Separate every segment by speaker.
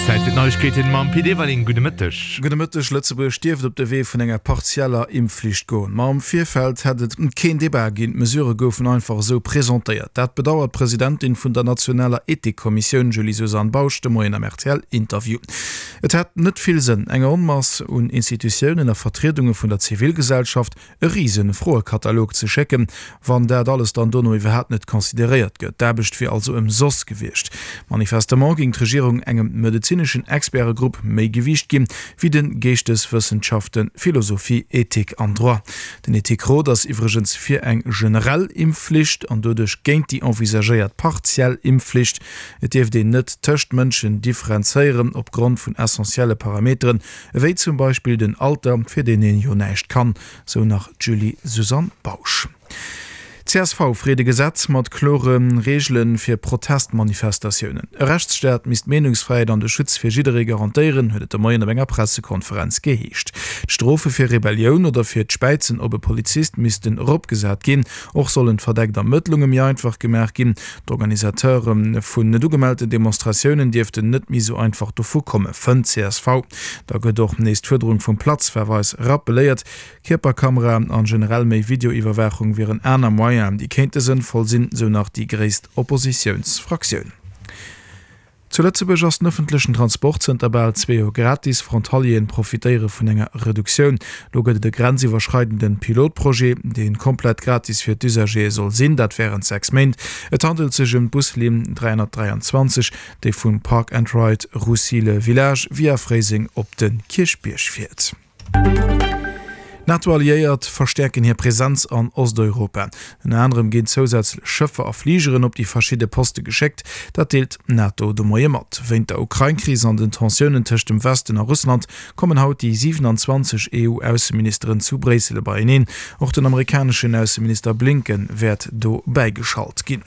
Speaker 1: Zäit fir d'Neiegkeeten mam Pit Everling. Gudde Mëtteg.
Speaker 2: Gudde Mëtteg. Lëtzebuerg dierft op de Wee vun enger partieller Impfflicht goen. Ma am Virfeld hätt et keen Debat ginn, d'Mesurë goufen einfach esou presentéiert. Dat bedauert d'Presidentin vun der nationaler Ethikkommissioun Julie-Suzanne Bausch de Moien am RTL-Interview. Et hätt net vill Sënn, enger Onmass un Institutiounen a Vertriedunge vun der Zivilgesellschaft e rise Froekatalog ze schécken, wann dat alles dann dono iwwerhaapt net consideréiert gëtt. D'Aarbecht wier also ëmsoss gewiescht. Manifestement géing d'Regierung engem medezineschen Expertegrupp méi Gewiicht ginn, wéi de Geeschteswëssenschaften, Philosophie, Ethik an Droit. Den Ethikrot ass iwwregens fir eng generell Impfflicht an doduerch géint déi envisagéiert partiell Impfflicht. Et dierft een net tëscht Mënschen differenzéieren opgrond vun essentielle Parameteren, ewéi zum Beispill den Alter, fir deen een jo näischt kann, sou nach d'Julie-Suzanne Bausch. Csv freet e Gesetz mat klore Reegele fir Protestmanifestatiounen. E Rechtsstaat misst d'Meenungsfräiheet an de Schutz fir jidderee garantéieren, huet et de Moien op enger Pressekonferenz geheescht. D'Strofe fir Rebellioun oder fir d'Späizen op e Polizist missten eropgesat ginn. Och sollen d'verdeckt Ermëttlunge méi einfach gemaach ginn. D'Organisateure vun net ugemellten Demonstratiounen dierften net méi sou einfach dovu komme, fënnt csv. Da gëtt och nees d'Fuerderung vum Platzverweis rappeléiert. Kierperkameraen an generell méi Videoiwwerwaachung wieren aner Moyenen, déi kéinte sënnvoll sinn, sou nach déi gréisst Oppositiounsfraktioun. Zu Lëtzebuerg ass den ëffentlechen Transport zënter bal zwee Joer gratis. Frontalieren profitéiere vun enger Reduktioun. Lo gëtt et e grenziwwerschreidenden Pilotprojet, dee komplett gratis fir d'Usagere soll sinn, dat wärend 6 Méint. Et handelt sech ëm d'Buslinn 323, déi vum Park and Ride Roussy-le-Village via Fréiseng op de Kierchbierg fiert. D'NATO-Alliéiert verstäerken hir Presenz an Osteuropa. Ënner anerem ginn zousätzlech Schëffer a Fligeren op déi verschidde Poste geschéckt. Dat deelt d'NATO de Moie mat. Wéint der Ukrain-Kris an den Tensiounen tëscht dem Westen a Russland kommen haut déi 27 EU-Ausseministeren zu Bréissel beieneen. Och den amerikaneschen Ausseminister Blinken wäert do bäigeschalt ginn.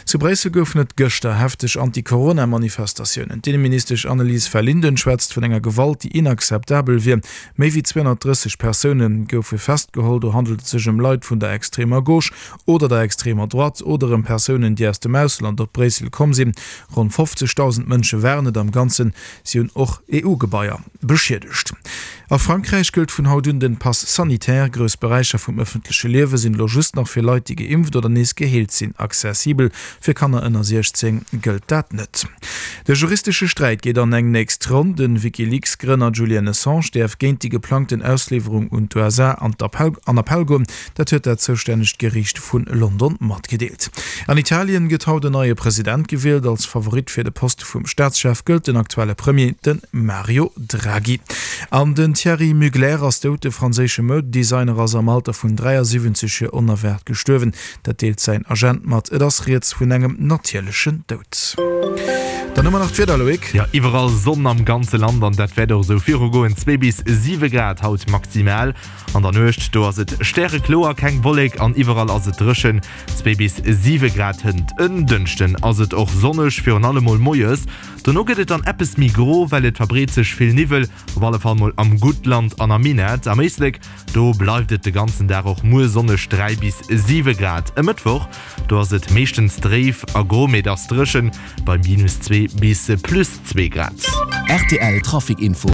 Speaker 2: Zu Bréissel goufen et gëschter hefteg Anti-Corona-Manifestatiounen. D'Inneministesch Annelies Verlinden schwätzt vun enger Gewalt, déi inakzeptabel wier. Méi wéi 230 Persoune goufe festgeholl. Do handelt et sech ëm Leit vun der extremer Gauche oder der extremer Droite oder ëm Persounen, déi aus dem Ausland op Bréissel komm sinn. Ronn 50.000 Mënsche waren et am Ganzen. Si hunn och EU-Gebaier beschiedegt. A Frankräich gëllt vun haut un den Pass sanitaire. Grouss Beräicher vum ëffentleche Liewe sinn elo just nach fir Leit, déi geimpft oder nees geheelt sinn, accessibel. Fir Kanner ënner 16 gëllt dat net. De juristesche Sträit geet an eng nächst Ronn. De WikiLeaks-Grënner Julian Assange däerf géint déi geplangten Ausliwwerung un d'USA an Appell goen. Dat huet dat zoustännegt Geriicht vu London matgedeelt. An Italien gëtt haut en neie President gewielt. Als Favorit fir de Poste vum Staatschef gëllt den aktuelle Premier, de Mario Draghi. An den Thierry Mugler ass dout. De franséische Moudedesigner ass am Alter vun 73 Joer onerwaart gestuerwen. Dat deelt säin Agent mat. Et ass rieds vun engem natierlechen Doud. Dann hu mer nach d'Wieder, Loïc.
Speaker 1: Jo, iwwerall Sonn am ganze Land an dat wäert och esou virugoen. Zwee bis 7 Grad haut maximal. An der Nuecht, do ass et stärekloer, keng Wollek an iwwerall ass et dréchen, zwee bis 7 Grad. Hënt en Dënschden ass et och sonneg, virun allem mol moies. Dono gëtt et dann eppes méi gro, well et verbreet sech vill Niwwel, op alle Fall mol am Guttland an am Minett. Am Éislek, do bleift et de ganzen Dag och muer sonneg, 3 bis 7 Grad. E Mëttwoch, do ass et meeschtens dréif a gro, mee et ass dréchen, bei minus 2 bis plus 2 Grad.
Speaker 3: Rtl Trafic Info.